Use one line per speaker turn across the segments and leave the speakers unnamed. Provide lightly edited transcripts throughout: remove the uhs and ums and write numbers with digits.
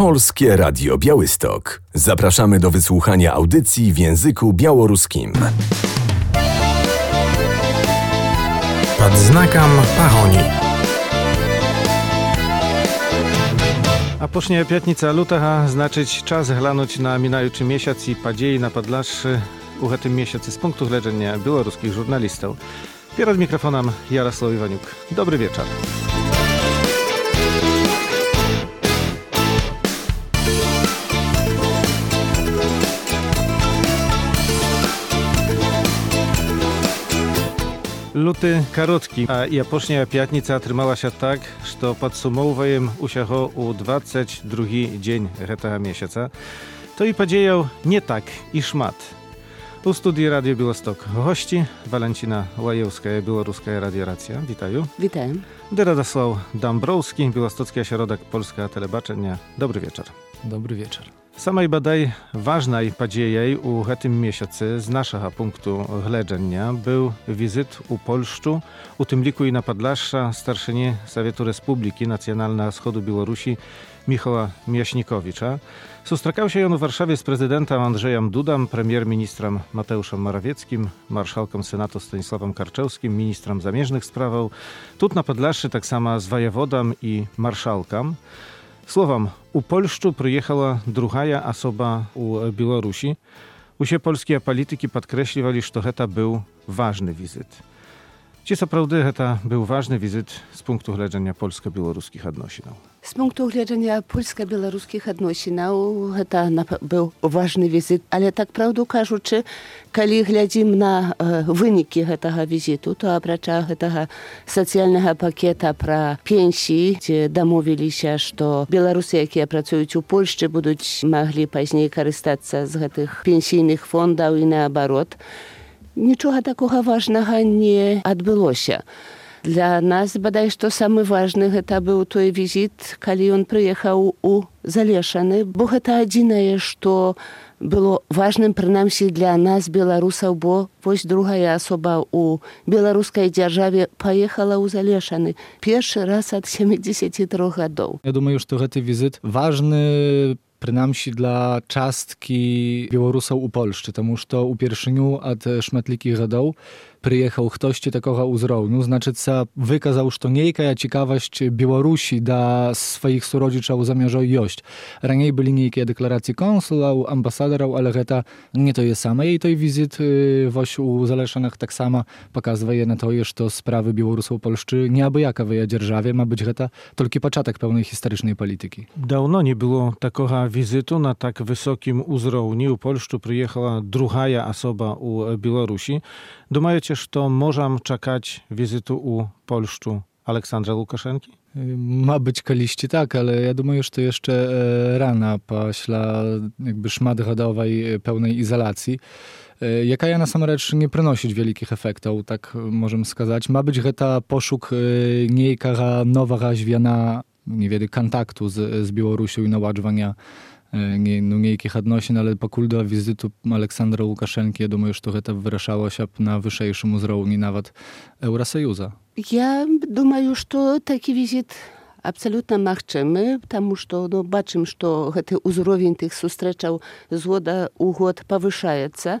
Polskie Radio Białystok. Zapraszamy do wysłuchania audycji w języku białoruskim.
Pod znakом pahoni. A później piątnica lutego znaczyć czas glądać na minający miesiąc i podzieje na Podlaszy u tym miesiącu z punktu widzenia białoruskich żurnalistów. Przed mikrofonem Jarosław Iwaniuk. Dobry wieczór. Luty krótki, a japocznia piątnica trzymała się tak, że podsumowujem usiacho u 22 dzień tego miesiąca. To i podziejał nie tak i szmat. U studii Radio Białystok gości Walentina Łajewska, Białoruska Radioracja. Witają.
Witam.
Radosław Dąbrowski, Białostocki Ośrodek Polska Telebaczenia. Dobry wieczór.
Dobry wieczór.
Samej badaj ważnej podziejej u tym miesiącu z naszego punktu gledzenia był wizyt u Polszczu, u tym liku i na Podlasza starszyni Sowietu Republiki Nacjonalna Wschodu Białorusi Michała Miaśnikowicza. Sustrzekał się on w Warszawie z prezydentem Andrzejem Dudą, premier-ministrem Mateuszem Morawieckim, marszałkiem Senatu Stanisławem Karczewskim, ministrem zamieżnych spraw. Tut na Podlaszy tak samo z wojewodą i marszałkiem. Słowem, u Polszczu przyjechała druga osoba u Białorusi. Usie polskie polityki podkreśliwali, że to był ważny wizyt. Czy co prawda to był ważny wizyt z punktu widzenia polsko-białoruskich odnosinów?
Z punktu widzenia polsko-białoruskich odnosinów to był ważny wizyt, ale tak prawdę кажучи, kiedy глядим na wyniki tego wizytu, to oprócz tego socjalnego pakieta pro pensji, gdzie domówili się, że Białorusy, jakie pracują u Polski, będą mogli później korzystać z tych pensyjnych fondów i na odwrót. Niczego takiego ważnego nie odbyło się. Dla nas, bodaj, to самый ważny to był ten wizyt, kiedy on przyjechał u Zaleszany, bo to jedyne, co było ważnym, przynajmniej dla nas, Białorusów, bo właśnie druga osoba u białoruskiej dzierżawie pojechała u Zaleszany. Pierwszy raz od 73 lat.
Ja думаю, że ten wizyt ważny przynajmniej dla czastki Białorusów u Polszczy, тому що у першыню od szmatlikich lat przyjechał ktoś takiego uzrowniu, znaczy wykazał, że niejka ciekawość Białorusi da swoich surodziczów zamierza jeść. Raniej byli niejkie deklaracje konsulów, ambasadorów, ale to nie to jest same. I tej wizyt właśnie u Zaleszanach tak samo pokazuje na to, że sprawy Białorusów Polszczy nie aby jaka w jej dzierżawie ma być to tylko początek pełnej historycznej polityki.
Dawno nie było takiego wizytu na tak wysokim uzrowniu. U Polszczu przyjechała druga osoba u Białorusi. Думаете, że możemy czekać wizytu u Polszczu Aleksandra Łukaszenki?
Ma być kaliści tak, ale ja думаю, że to jeszcze rana pośla jakby szmatgadowej pełnej izolacji. Jaka ja na sam rzecz nie przynosić wielkich efektów, tak możemy сказać. Ma być to poszuk niejkaga nowego zwiana, nie wiem, kontaktu z Białorusią i naładowania niejkich odnosin, ale покуль do wizytu Aleksandra Łukaszenki, ja думаю, że to wyraszało się na wyższym uzrowniu nawet Eurosojusza.
Ja думаю, że taki wizyt absolutnie możemy, потому что baczymy, że ten uzrowień tych sustrzeczał z года u год повышается.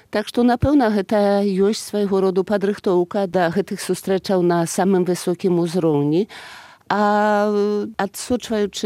Tak, że na pewno to jest swojego rodzaju podrychtowka do tych sustrzeczał na samym wysokim uzrowniu. A odsłuchując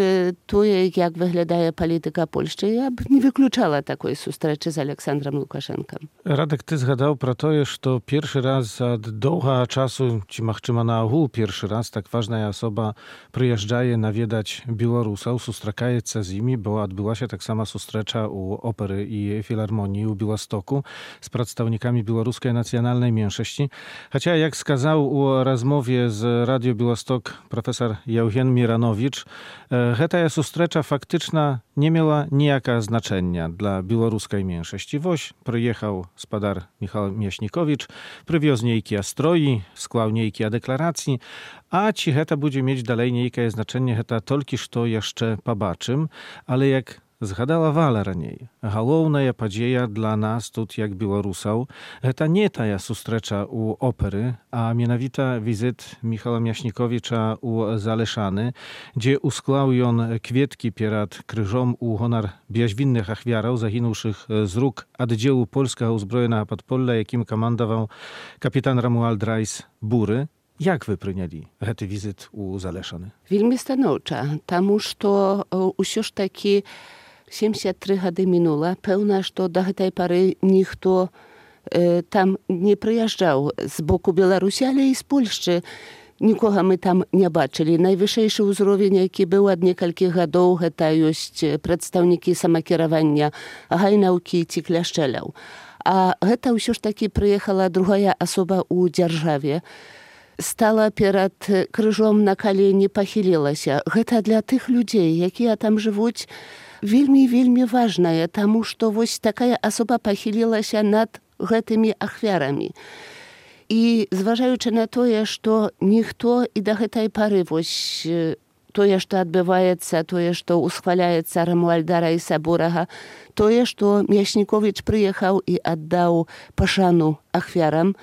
to, jak wygląda polityka Polski, ja bym nie wykluczała takiej sustrzeci z Aleksandrem Łukaszenką.
Radek, ty zgadał pro to, że to pierwszy raz od długiego czasu, czy machczyma na ogół pierwszy raz, tak ważna osoba przyjeżdża nawiedzać Białorusów, sustrzekaje się z nimi, bo odbyła się tak sama sustrzecza u Opery i Filharmonii u Białostoku z przedstawnikami białoruskiej nacjonalnej mniejszości. Chociaż jak skazał u rozmowie z Radio Białostok profesor Jauchen Miranowicz, ta sustrzecza faktyczna nie miała nijaka znaczenia dla białoruskiej mniejszości. Woś przyjechał spadar Michał Miaśnikowicz, przywiózł niejkie stroi, skłał niejkie deklaracji, a ci heta będzie mieć dalej niejkie znaczenie, heta tylko to jeszcze pobaczym, ale jak згадала раней. Галоўная падзея для нас тут, як беларусаў, гэта не тая сустрэча ў оперы, а менавіта візіт Міхала Мяснікowicza ў Залешаны, дзе усклаў ён кветкі перад крыжом у гонар бязвінных ахвяраў, загінуўшых з рук аддзелу польскага ўзброенага падполля, якім камандаваў капітан Рамуальд Райс Буры. Як вы прынялі гэты візіт у Залешаны?
Вельмі станоўча, таму што ўсё ж такі 73 гады мінула. Пэўна, што да гэтай пары ніхто там не прыязджаў з боку Беларусі, але і з Польшчы. Нікога мы там не бачылі. Найвышэйшы ўзровень, які быў ад некалькіх гадоў, гэта ёсць прадстаўнікі самакіравання гайнаўкі ці кляшчэляў. А гэта ўсё ж такі прыехала другая асоба ў дзяржаве. Стала перад крыжом на калені, пахілілася. Гэта для тых людзей, якія там жывуць, вельмі важнае, таму што вось такая асоба пахілілася над гэтымі ахвярамі. І зважаючы на тое, што ніхто і да гэтай пары вось тое, што адбываецца, тое, што усхваляецца Рамуальда Райса Бурага, тое, што Мяснікowicz прыехаў і аддаў пашану ахвярам,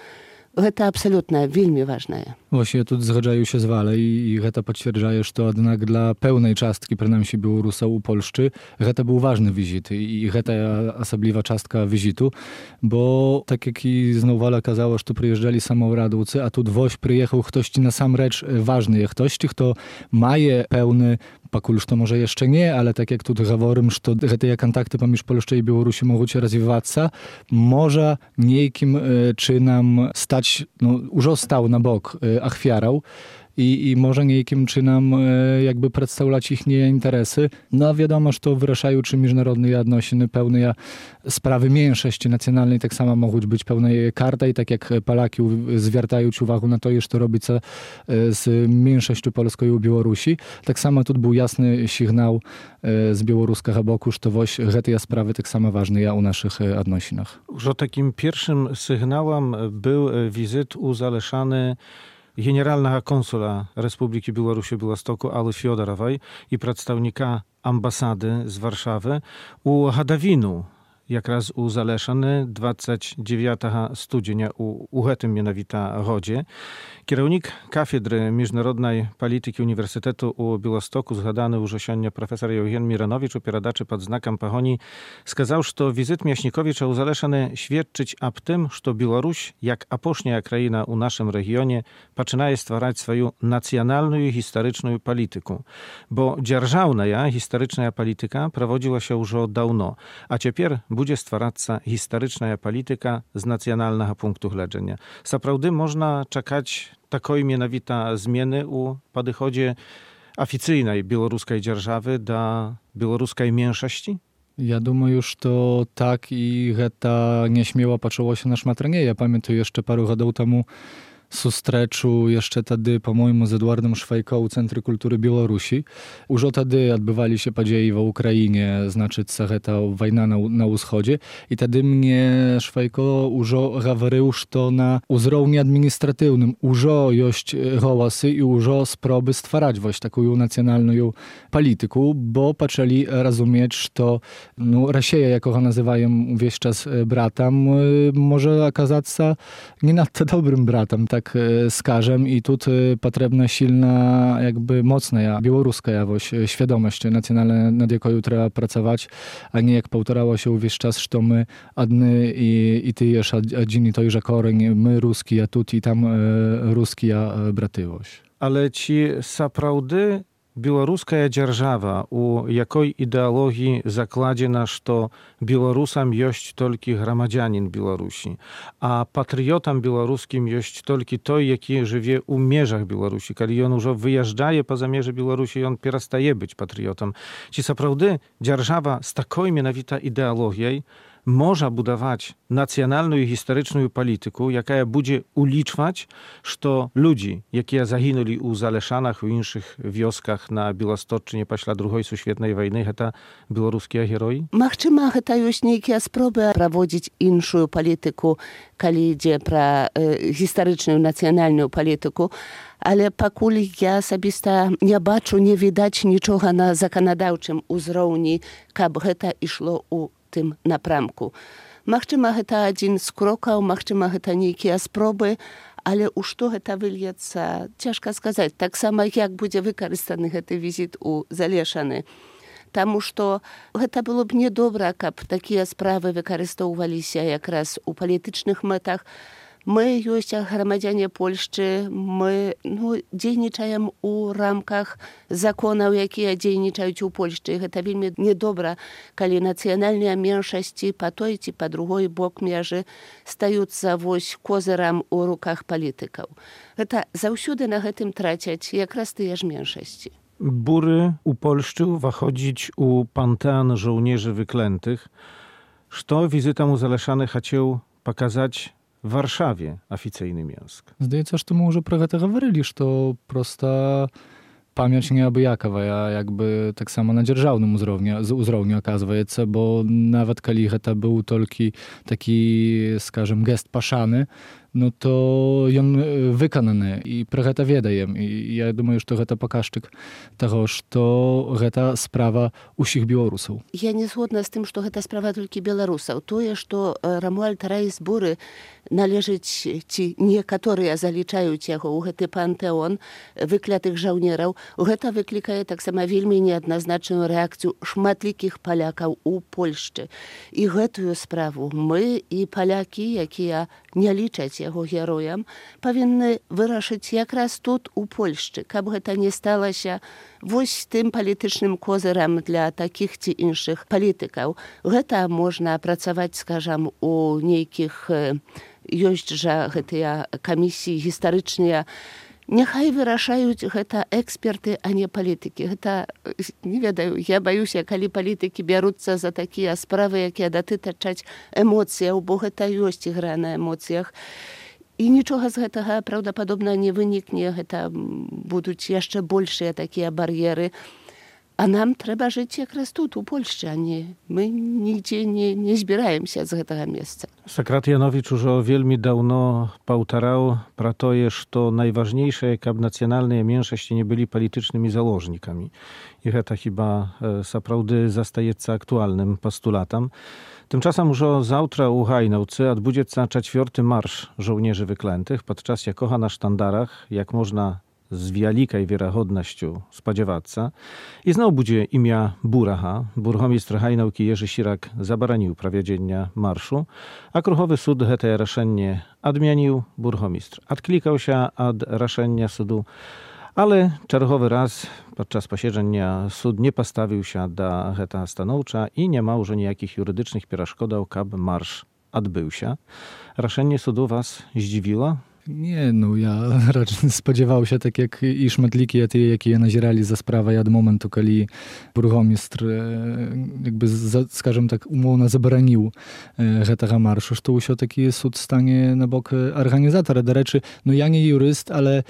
гэта абсалютна вельмі важнае.
Właśnie тут zgadzają się z Wale i гэта potwierdzaje, że jednak dla pełnej czastki, przynajmniej Białorusów u Polszczy, гэта był ważny wizyt i гэта osobliwa czastka wizytu, bo tak jak i znowu Wala kazała, że przyjeżdżali samoradowcy, a tu woś przyjechał ktoś na sam rzecz ważny, ktoś, kto maje pełny Pakulż to może jeszcze nie, ale tak jak tu mówimy, że te kontakty pomiędzy Polską i Białorusią mogą się rozwijać, może niejakim czynom stać, już stał na bok achwiarał i może niejakim czynom jakby przedstawiać ich interesy. No wiadomo, że to wyraszają czy międzynarodne odnosiny, pełne sprawy mniejszości nacjonalnej, tak samo mogą być pełne karta i tak jak Polaki zwracają uwagę na to, że to robi co z mniejszością polską i u Białorusi, tak samo tu był jasny sygnał z białoruskiego boku, że to właśnie te sprawy tak samo ważne u naszych odnosinach.
Już takim pierwszym sygnałem był wizyt u Zaleszany generalnego konsula Republiki Białorusi w Białostoku Ały Fiodorowej i przedstawnika ambasady z Warszawy u Hadawinu, jak raz u Zaleszany 29 studzienia u tym mianowita godzie. Kierownik Kafedry Międzynarodnej Polityki Uniwersytetu u Białostoku, zgadany już osiągnie profesor Eugen Miranowicz, upieradaczy pod znakiem pagoni, skazał, że wizyt Мяснікowicza u Zaleszany świadczyć ab tym, że Białoruś, jak apośnia kraina u naszym regionie, zaczyna stwarzać swoją nacjonalną i historyczną politykę. Bo dzierżawna historyczna polityka prowadziła się już od dawno, a teraz będzie stwarzać historyczna polityka z nacjonalnego punktu widzenia. Zaprawdę można czekać takiej mianowita zmiany u podchodzie oficyjnej białoruskiej dzierżawy do białoruskiej mniejszości?
Ja думаю, że tak i to nieśmiało patrzyło się na szmatranie. Ja pamiętam jeszcze paru lat temu sustreczu jeszcze wtedy, po-mojemu, z Edwardem Szwajką u Centrum Kultury Białorusi. Już wtedy odbywali się podzieje w Ukrainie, znaczy ta wojna na wschodzie. I wtedy mnie Szwajko już mówił, że na uzrowniu administratywnym już jest głosy i już spróby stwarzać właśnie taką nacjonalną politykę, bo zaczęli rozumieć, że Rosja, jak go nazywają wieś czas bratem, może okazać się nie nadto dobrym bratem, tak skażem i tu potrzebna silna, jakby mocna białoruska świadomość nacjonalna, nad jaką trzeba pracować, a nie jak powtarzało się wieś czas, że my adny i ty jesz adzi to już koreń, my ruski, a tu i tam ruski, a bratywoś.
Ale ci saprawdy białoruska dzierżawa u jakiej ideologii zakładziena, że Białorusem jest tylko gromadzianin Białorusi, a patriotem białoruskim jest tylko той, jaki żyje u mierzach Białorusi. Kiedy on już wyjeżdżaje poza mierze Białorusi, on przestaje być patriotem. Ci saprawdy dzierżawa z taką mianowita ideologią можа будаваць нацыянальную і гістарычную палітыку, якая будзе улічваць, што людзі, якія загінулі ў Залешанах, у іншых вёсках на Беласточчыне пасля другой сусветнай вайны, гэта беларускія героі?
Магчыма, гэта ёсць нейкія спробы праводзіць іншую палітыку, калі ідзе пра гістарычную нацыянальную палітыку, але пакуль я асабіста не бачу, не відаць нічога на заканадаўчым узроўні, каб гэта ішло ў тым напрамку. Магчыма, гэта адзін з крокаў, магчыма, гэта нейкія спробы, але ў што гэта выльецца, цяжка сказаць. Таксама, як будзе выкарыстаны гэты візіт у Залешаны. Таму што гэта было б недобра, каб такія справы выкарыстоўваліся якраз у палітычных мэтах. Мы ёсць грамадзяне Польшчы, мы дзейнічаем у рамках законаў, якія дзейнічаюць у Польшчы. Гэта вельмі недобра, калі нацыянальныя меншасці па той ці па другой бок межы стаюцца вось козырам у руках палітыкаў. Гэта заўсёды на гэтым трацяць якраз тыя ж меншасці.
Bury u Polszczy wchodzić u panteon żołnierzy wyklętych, что wizyta mu Zaleszany chciał pokazać w Warszawie oficjalny miask.
Zdaється, што мы ўжо пра гэта гаварылі, што проста памяць неабыякавая, якby таксама на дзяржаўным узроўні аказваецца, бо нават калі гэта быў толькі такі, скажем, гест пашаны, то ён выкананы, і пра гэта ведаем. І я думаю, што гэта паказчык таго, што гэта справа ўсіх беларусаў.
Я не згодна з тым, што гэта справа толькі беларусаў. Тое, што Рамуальд Раіс Буры належыць, ці некаторыя залічаюць яго ў гэты пантэон выклятых жаўнераў, гэта выклікае таксама вельмі неадназначную рэакцыю шматлікіх палякаў у Польшчы. І гэтую справу мы і палякі, якія не лічаць яго героям, павінны вырашыць якраз тут у Польшчы, каб гэта не сталася вось тым палітычным козырам для такіх ці іншых палітыкаў. Гэта можна працаваць, скажам, у нейкіх ёсць жа гэтыя камісіі гістарычныя. Няхай вырашаюць гэта эксперты, а не палітыкі. Гэта, не ведаю, я баюся, калі палітыкі бяруцца за такія справы, якія датычаць эмоцыяў, бо гэта ёсць ігра на эмоцыях. І нічога з гэтага праўдападобна не вынікне, гэта будуць яшчэ большыя такія бар'еры. А нам трэба жыць якраз тут, у Польшчы, а не мы нігдзе не збіраемся з гэтага месца.
Сакрат Янowicz ужо вельмі даўно паўтараў пра тое, што найважнейшае, каб нацыянальныя меншасці не былі палітычнымі заложнікамі. І гэта хіба сапраўды застаецца актуальным пастулатам. Tymczasem już zawtra u Hajnałcy odbędzie 4. marsz żołnierzy wyklętych, podczas jakoho na sztandarach, jak można z wielkiej wiarygodnością spodziewać się. I znowu będzie imię Buraha. Burgomistrz Hajnałki Jerzy Sirak zabranił prowadzenia marszu, a Kruchowy Sud te решenie odmienił. Burgomistrz odklikał się od решenia sudu, ale czerwowy raz podczas posiedzenia sud nie postawił się do tego stanowcza i nie ma już nijakich jurydycznych przeszkodów, aby marsz odbył się. Решenie sudu was zdziwiło?
Nie, ja raczej spodziewał się, tak jak i szmatliki, jakie nazierali za sprawę od momentu, kiedy burgomistrz jakby, скажем tak, umowno zabranił tego marszu, że się taki sud stanie na bok organizatora. Do rzeczy, ja nie juryst, ale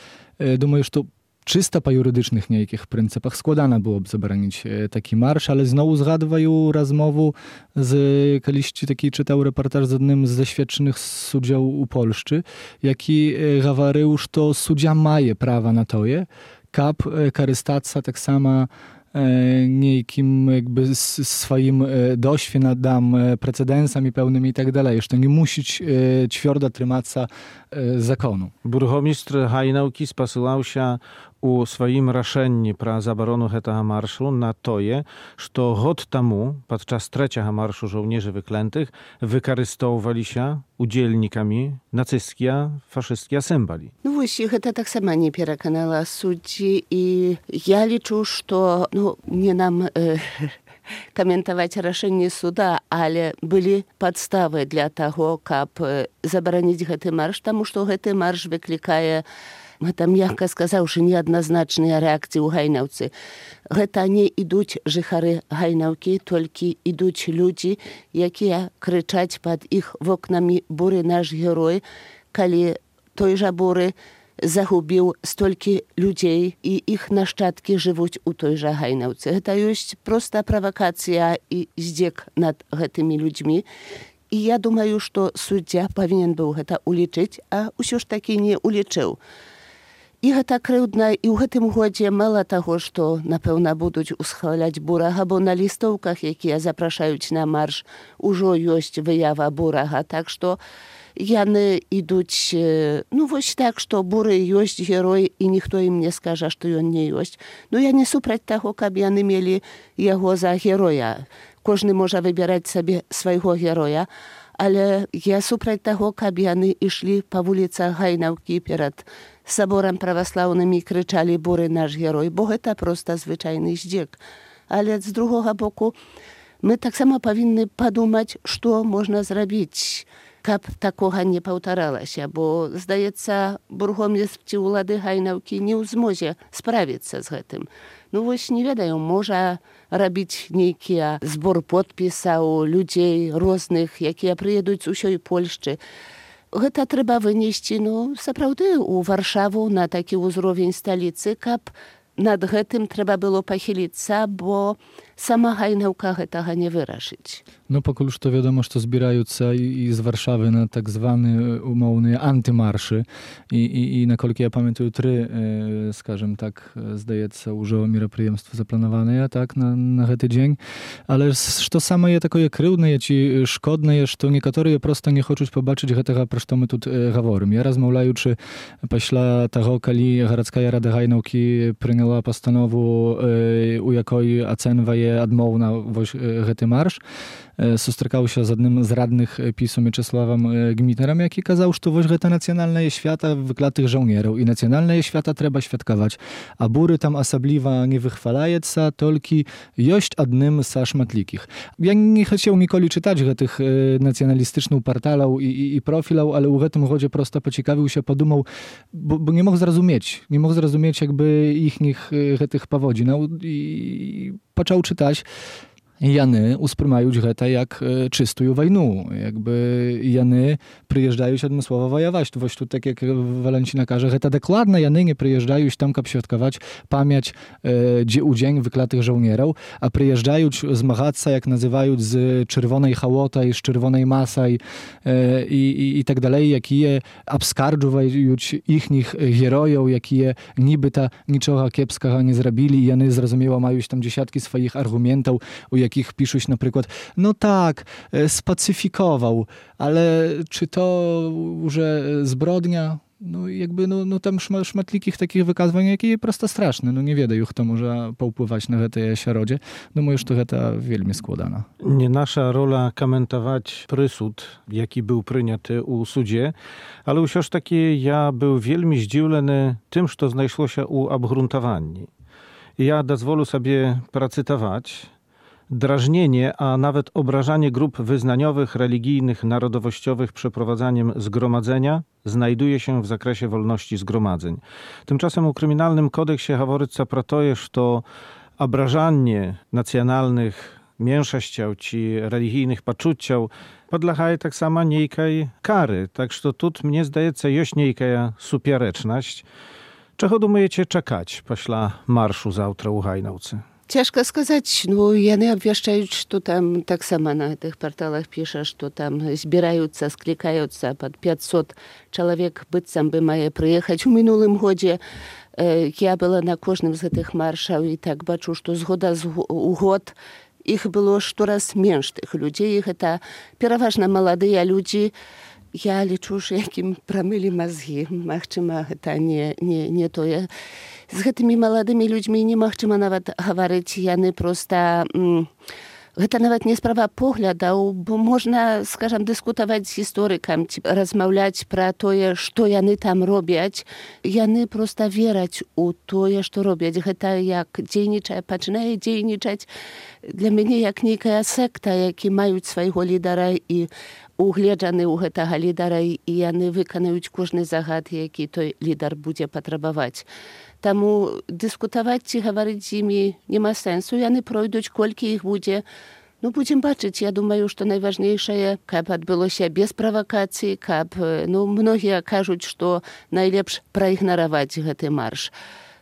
думаю, że czysto po jurydycznych niejkich pryncypach składana byłoby zabranić taki marsz, ale znowu zgadwają rozmowę z kiedyś taki czytał reportaż z jednym z zaświadczonych sędziów u Polszczy, jaki mówił, że sędzia ma prawa na to, kab karystacja tak samo niejkim jakby swoim doświadczeniami, precedensami pełnymi i tak dalej, że nie musi twardo trzymać się zakonu.
Burgomistrz Hajnałki spasyłał się u swoim решенні про заборону этого marszu na to, że rok temu, podczas 3. marszu żołnierzy wyklętych, wykorzystywali się udzielnikami nacystowskie, faszystskie symboli.
Właśnie, to tak samo nie przekonała судzi i ja liczę, że nie nam komentować решenie suda, ale były podstawy dla tego, aby zabronić ten marsz, потому что ten marsz wyklikaje гэта, мякка сказаўшы, неадназначныя рэакцыі ў гайнаўцы. Гэта не ідуць жыхары гайнаўкі, толькі ідуць людзі, якія крычаць пад іх вокнамі: буры наш герой, калі той жа буры загубіў столькі людзей і іх нашчадкі жывуць у той жа гайнаўцы. Гэта ёсць проста правакацыя і здзек над гэтымі людзьмі. І я думаю, што суддзя павінен быў гэта улічыць, а ўсё ж такі не улічыў. І гэта крыўдна, і ў гэтым годзе мала таго, што, напэўна, будуць усхваляць бурага, бо на лістоўках, якія запрашаюць на марш, ужо ёсць выява бурага. Так што яны ідуць, вось так, што буры ёсць герой, і ніхто ім не скажа, што ён не ёсць. Я не супраць таго, каб яны мелі яго за героя. Кожны можа выбіраць сабе свайго героя, але я супраць таго, каб яны ішлі па вуліцах гайнаўкі перад саборам праваслаўным і крычалі: буры наш герой, бо гэта проста звычайны здзек. Але з другога боку, мы таксама павінны падумаць, што можна зрабіць, каб такога не паўтаралася, бо, здаецца, бургомістрці ўлады гайнаўкі не ў змозе справіцца з гэтым. Вось не ведаю, можа рабіць нейкія збор подпісаў людзей розных, якія прыедуць з усёй Польшчы. Гэта трэба вынесці, сапраўды, у Варшаву на такі ўзровень сталіцы, каб над гэтым трэба было пахіліцца, бо сама гайнаўка гэтага не вырашыць.
Пакуль што вядома, што збіраюцца і з Варшавы на так званы умоўныя антымаршы. І наколькі я памятаю, 3, скажем так, здаецца, ўжо мерапрыемствы запланаваныя так на гэты дзень. Але што самае такое крыўнае ці шкоднае, што некаторыя проста не хочуць пабачыць гэтага, пра што мы тут гаворым. Я, размаўляючы пасля таго, калі гарадская рада гайнаўкі прыняла пастанову, у якой ацэнвае адмоўна гэты марш, сустракаўся з адным з радных ПiS-у Mieczysławem Gmitnerem, які казаў, што вось гэта нацыянальнае свята выклатых жаўнераў і нацыянальнае свята трэба святкаваць. А буры там асабліва не выхваляецца, толькі ёсць адным са шматлікіх. Я не хацеў ніколі чытаць гэтых нацыяналістычных парталаў і профіляў, але ў гэтым годзе проста пацікавіўся, падумаў, бо не мог зразумець якby іхніх гэтых паводзінаў і пачаў чытаць. Яны успрымаюць гэта як чыстую вайну. Яны прыязджаюць адмыслова ваяваць. Вось тут, так як Валянціна кажа, гэта дакладна яны не прыязджаюць там, каб святкаваць памяць у дзень выклатых жаўнераў, а прыязджаюць змагацца, як называюць, з чырвонай халотай, з чырвонай масай і так далей, якія абскарджваюць іхніх герояў, якія нібыта нічога кепскага не зрабілі. Яны, зразумела, маюць там дзесяткі сваіх аргументаў, у якich piszуть na przykład, spacyfikował, ale czy to już zbrodnia? Tam szmatlikich takich wykazań, jakie prosto straszne. Nie wiedają, kto może poupływać na tej środzie. Думаю, że to wielmi składana.
Nie nasza rola komentować prysud, jaki był przyjęty u sudzie, ale już takie ja był wielmi zdziwiony tym, co znajszło się u obgruntowanni. Ja dozwolę sobie pracytować. Drażnienie, a nawet obrażanie grup wyznaniowych, religijnych, narodowościowych przeprowadzaniem zgromadzenia znajduje się w zakresie wolności zgromadzeń. Tymczasem u kryminalnym kodeksie haworyca про to, że obrażanie nacjonalnych mniejszościów czy religijnych poczuciów podlegaje tak samo niejkaj kary. Tak że tu mnie zdaje się jest niejka supiereczność. Czego думаете czekać после marszu завтра u Гайнаўцы?
Цяжка сказаць, яны абвяшчаюць, што там таксама на гэтых парталах піша, што там збіраюцца, склікаюцца пад 500 чалавек, быццам бы мае прыехаць. У мінулым годзе я была на кожным з гэтых маршаў і так бачу, што з года ў год іх было штораз менш тых людзей. Гэта пераважна маладыя людзі. Я лічу, што якім прамылі мазгі. Магчыма, гэта не тое. З гэтымі маладымі людзьмі немагчыма нават гаварыць, яны проста Гэта нават не справа поглядаў, бо можна, скажам, дыскутаваць з гісторыкам, размаўляць пра тое, што яны там робяць. Яны проста вераць у тое, што робяць. Гэта як дзейнічае, пачынае дзейнічаць для мяне як нейкая секта, які маюць свайго лідара і угледжаны ў гэтага лідара, і яны выканаюць кожны загад, які той лідар будзе патрабаваць. Таму дыскутаваць ці гаварыць з імі няма сэнсу, яны пройдуць, колькі іх будзе. Ну, будзем бачыць, я думаю, што найважнейшае, каб адбылося без правакацыі, каб, многія кажуць, што найлепш праігнараваць гэты марш.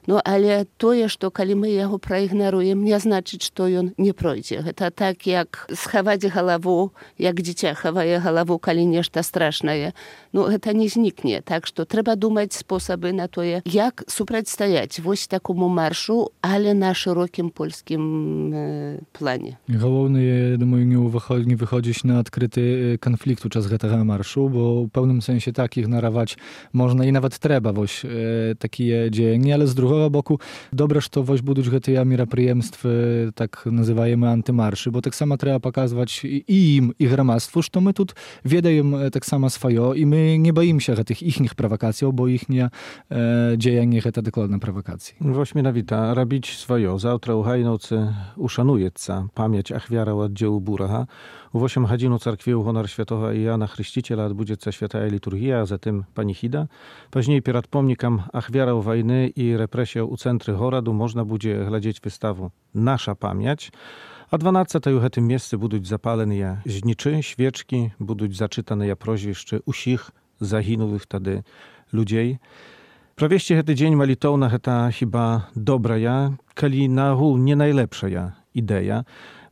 Але тое, што калі мы яго праігнаруем, не значыць, што ён не пройдзе. Гэта так, як схаваць галаву, як дзіця хавае галаву, калі нешта страшнае. Гэта не знікне. Так што трэба думаць спосабы на тое, як супрацьстаяць вось такому маршу, але на шырокім польскім плане.
Галоўнае, я думаю, не выходзіць на адкрыты канфлікт у час гэтага маршу, бо ў пэўным сэнсе так ігнараваць можна і нават трэба вось такія дзеянні, але з другога боку, добра, што вось будуць гэтыя мерапрыемствы, так называемыя антымаршы, бо таксама трэба паказваць і ім, і грамадству, што мы тут ведаем таксама сваё, і мы не баімся гэтых іхніх правакацыяў, бо іхнія дзеянні гэта дакладна правакацыі.
Вось менавіта, рабіць сваё. Заўтра ў Гайнаўцы ушануецца памяць ахвяраў аддзелу Бурага. У 8 гадзін у царкве ў гонар святого Іана Хрысціцеля адбудзецца святая літургія, а затым паніхіда. Пазней перад помнікам ахвяраў вайны і рэпрэсіяў у цэнтры гораду можна будзе глядзець выставу «Наша памяць». А 12 у гэтым месцы будуць запаленыя знічы, свечкі, будуць зачытаныя прозвішчы ўсіх загінулых тады людзей. Правесці гэты дзень малітоўна гэта хіба добрая, калі наогул не найлепшая ідэя.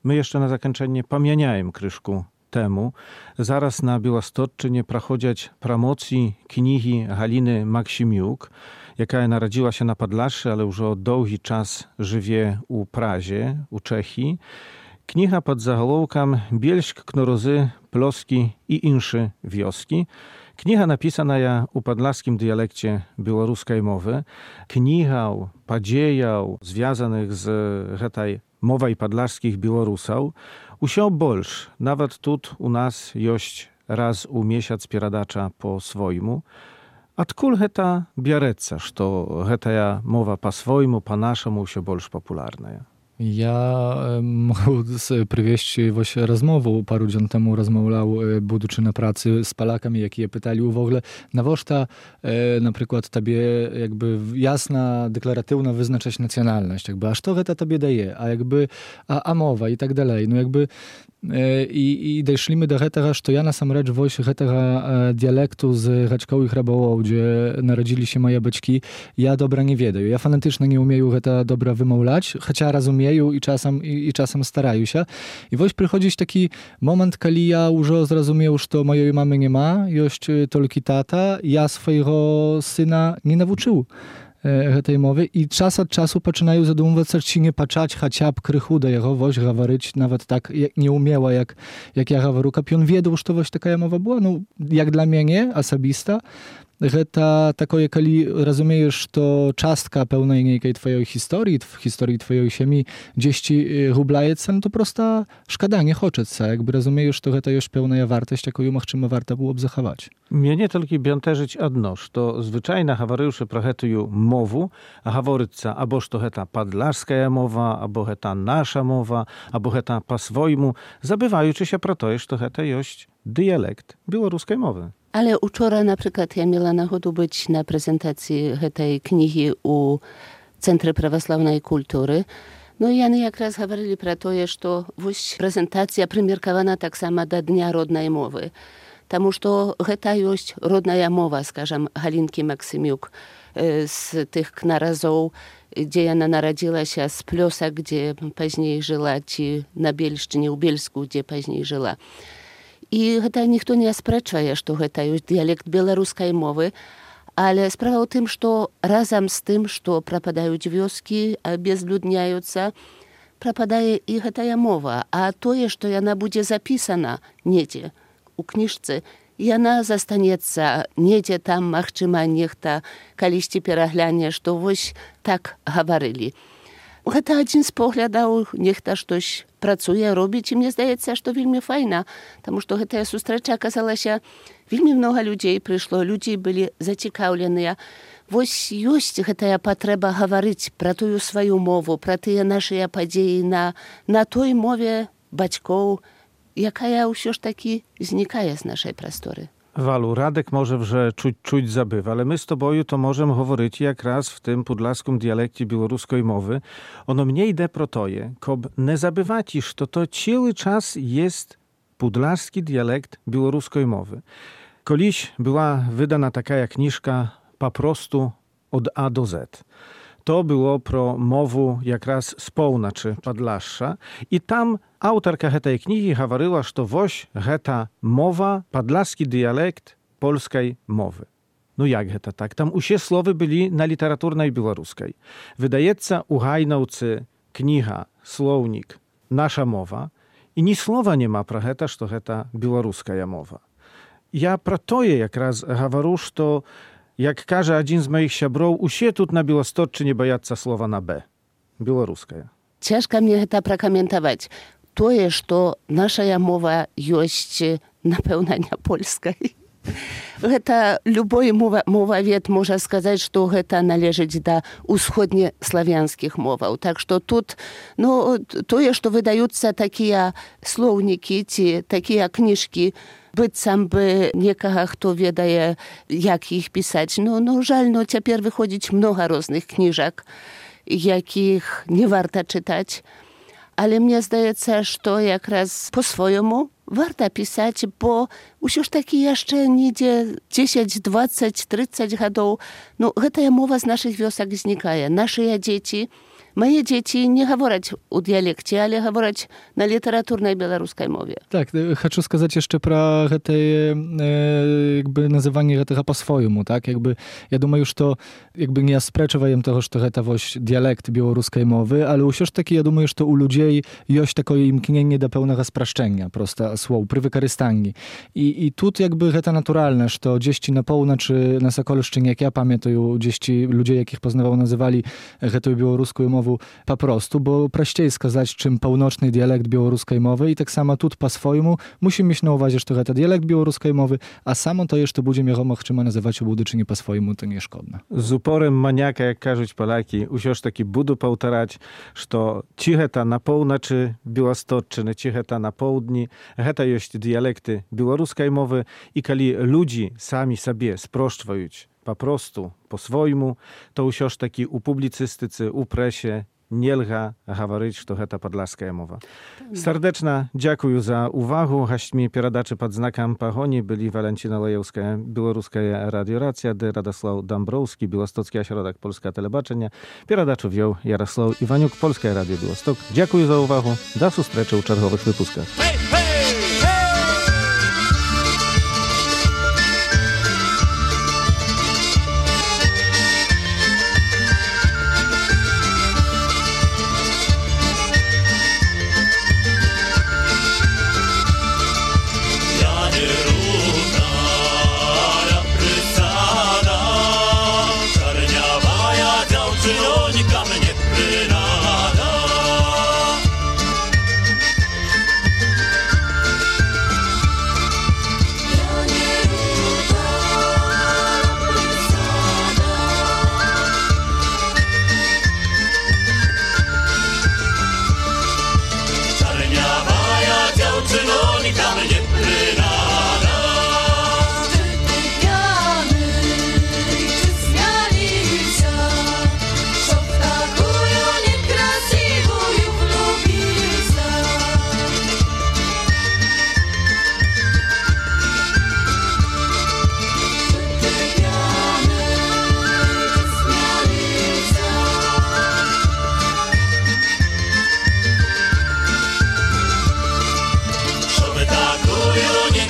My jeszcze na zakończenie pamiętajem kryszku temu. Zaraz na Białostocczynie prachodziać promocji knihi Haliny Maksimiuk, jaka narodziła się na Podlaszy, ale już od długi czas żyje u Prazie, u Czechii. Kniha pod zaголовком «Bielsk, Knorozy, Ploski i insze wioski». Kniha napisana ja u podlaskim dialekcie białoruskiej mowy. Kniha padziejał związanych z hetaj mowa i podlaskich Białorusów. Usio bolsz, nawet tut u nas jość raz u miesiąc pieradacza po swojmu. Откуль heta biareca, što hetaja mowa po swojmu, po naszemu usio bolsz popularna?
Ja mogę przywieźć właśnie rozmowę. Paru dzień temu rozmawiał, będący na pracy z Polakami, jakie pytali w ogóle, nawożta na przykład tobie jakby jasna, deklaratywna wyznaczać nacjonalność, jakby, a co to tobie daje, a jakby, a mowa i tak dalej. No jakby i doszliśmy do tego, że ja насамрэч właśnie tego dialektu z Raczkowych Rabałow, gdzie narodzili się moje beczki, ja dobra nie wiedаю. Ja fanatycznie nie umieję to dobra wymawiać, chociaż rozumieję i czasem staraję się. I właśnie przychodzi taki moment, kiedy ja już zrozumiał, że mojej mamy nie ma, jest tylko tata, ja swojego syna nie nauczył tej mowy i czas od czasu zaczynają zadumywać, czy nie patrzeć chociaż krychu do jego woś gawaryć, nawet tak nie umiała, jak ja gawaru, aby on wiedział, że to właśnie taka mowa była. No, jak dla mnie nie, osobista, to takie, kiedy rozumiesz, to czastka pełnej niejkiej twojej historii, w historii twojej ziemi gdzieś ci hublajeca, no to prosta szkoda, nie хочеться. Jakby rozumiesz, to to już pełna wartość, jaką możemy warto byłoby zachować.
Mnie nie tylko bionterzyć одно, что zwyczajna hawaryusze prochetują mowu, a haworyca, aboż to heta padlarska mowa, albo heta nasza mowa, albo heta po swojmu, zabywajući się pro to, że to heta jest dialekt białoruskiej mowy.
Ale wczoraj na przykład ja miała nachodu być na prezentacji tej księgi u Centrum Prawosławnej Kultury. No i oni jak raz mówili про to, że prezentacja przymiarkowana tak samo do Dnia Rodnej Mowy. Тому что гэта ёсць родная мова, скажам, Галінкі Максімюк з тых кнаразоў, дзе яна нарадзілася, з Плёса, дзе пазней жыла, ці на Бельшчыне, ў Бельску, дзе пазней жыла. І гэта ніхто не аспрэчвае, што гэта ёсць дыялект беларускай мовы, але справа ў тым, што разам з тым, што прападаюць вёскі, безлюдняюцца, прападае і гэтая мова, а тое, што яна будзе запісана недзе, у кніжцы, яна застанецца недзе там, магчыма, нехта калісьці перагляне, што вось так гаварылі. Гэта адзін з поглядаў, нехта штось працуе, робіць, і мне здаецца, што вельмі файна, таму што гэтая сустрэча аказалася, вельмі многа людзей прыйшло, людзі былі зацікаўленыя. Вось ёсць гэтая патрэба гаварыць пра тую сваю мову, пра тыя нашыя падзеі на той мове бацькоў, якая ўсё ж такі знікае з нашай прасторы.
Walu, Radek może że czuć zabywa, ale my z tobою to możemy говорить jak raz w tym podlaskim dialekcie białoruskiej mowy. Ono mniej de protoje, kob nie zabywać, iż to cały czas jest podlaski dialekt białoruskiej mowy. Koliś była wydana taka kniżka po prostu od A do Z. To było pro mowu jak raz z połnaczy Padlasza i tam autorka tej kniги говорила, że woś heta mowa, padlaski dialekt polskiej mowy. No jak heta tak? Tam usie słowy byli na literaturnej białoruskiej. Wydajeca u Hajnaucy kniga, słownik, nasza mowa i ni słowa nie ma pro heta, że heta białoruska mowa. Ja pro to jak raz говорю, że jak każe один z moich siabrów, usie тут na Białostoczu nie bojaцца słowa na B. Białoruska.
Цяжка мне гэта пракаментаваць. Тое, што нашая мова ёсць, напэўна, не польскай. Гэта любой мовавед можа сказаць, што гэта належыць да усходнеславянскіх моваў. Так што тут тое, што выдаюцца такія слоўнікі ці такія кніжкі, быццам бы некага, хто ведае, як іх пісаць. Жаль, цяпер выходзіць многа розных кніжак, якіх не варта чытаць. Але мне здаецца, што якраз по-свойму варта пісаць, бо ўсё ж такі яшчэ недзе 10, 20, 30 гадоў. Гэтая мова з нашых вёсак знікае. Нашыя дзеці, moje dzieci nie говорять u dialekcie, ale говорять na literaturnej białoruskiej mowie.
Tak, chcę сказать jeszcze про tej jakby nazywanie tego po swojemu, tak? Jakby ja думаю, что jakby nie sprzeczam tego, że to jest dialekt białoruskiej mowy, ale już taki ja думаю, że u ludzi jest takie imknienie do pełnego spraszczenia, prosta słów, przy wykorzystaniu. I tu jakby to naturalne, że gdzieś na północy, na Sokolszczynie, jak ja pamiętam, gdzieś ludzie, jakich poznawał, nazywali tę białoruską mowę po prostu, bo prościej skazać, czym północny dialekt białoruskiej mowy i tak samo tu po swojemu musimy mieć na uwadze, że to dialekt białoruskiej mowy, a samo to jeszcze będziemy chcieli nazywać obudycznie po swojemu, to nie szkodne.
Z uporem maniaka, jak każą Polaki, usiąż taki budu powtarzać, że cicheta na północy Białostocczyny, cicheta na południ, heta jest dialekty białoruskiej mowy i kali ludzi sami sobie sproszczają po prostu, po swojemu, to usiąż taki u publicystycy, u presie, nie lga говорить, że to podlaska mowa. Serdeczna dziękuję za uwagę. Gośćmi передачи pod znakiem Pagoni byli Walentina Lejewska, Białoruska Radioracja, Radosław Dąbrowski, Białostocki Ośrodek Polska Telebaczenia. Передачу wziął Jarosław Iwaniuk, Polskie Radio Białystok. Dziękuję za uwagę. Do usłyszenia w czerwowych wypuskach.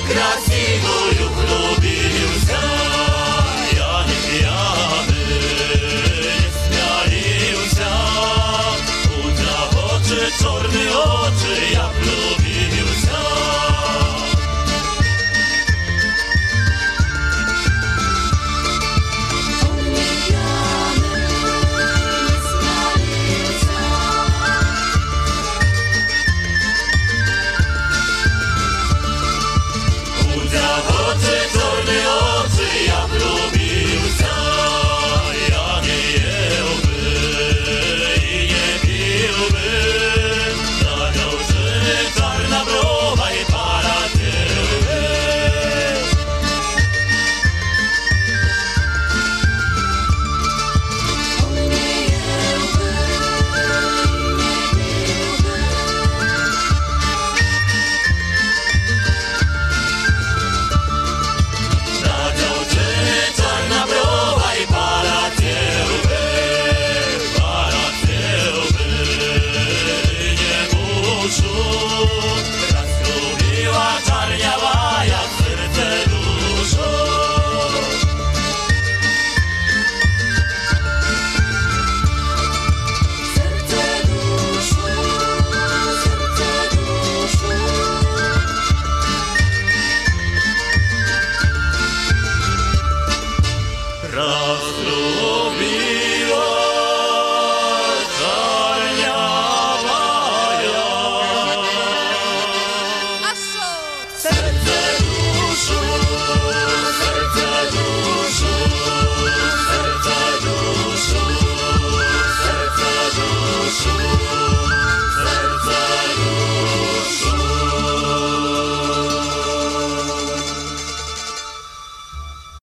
Красивую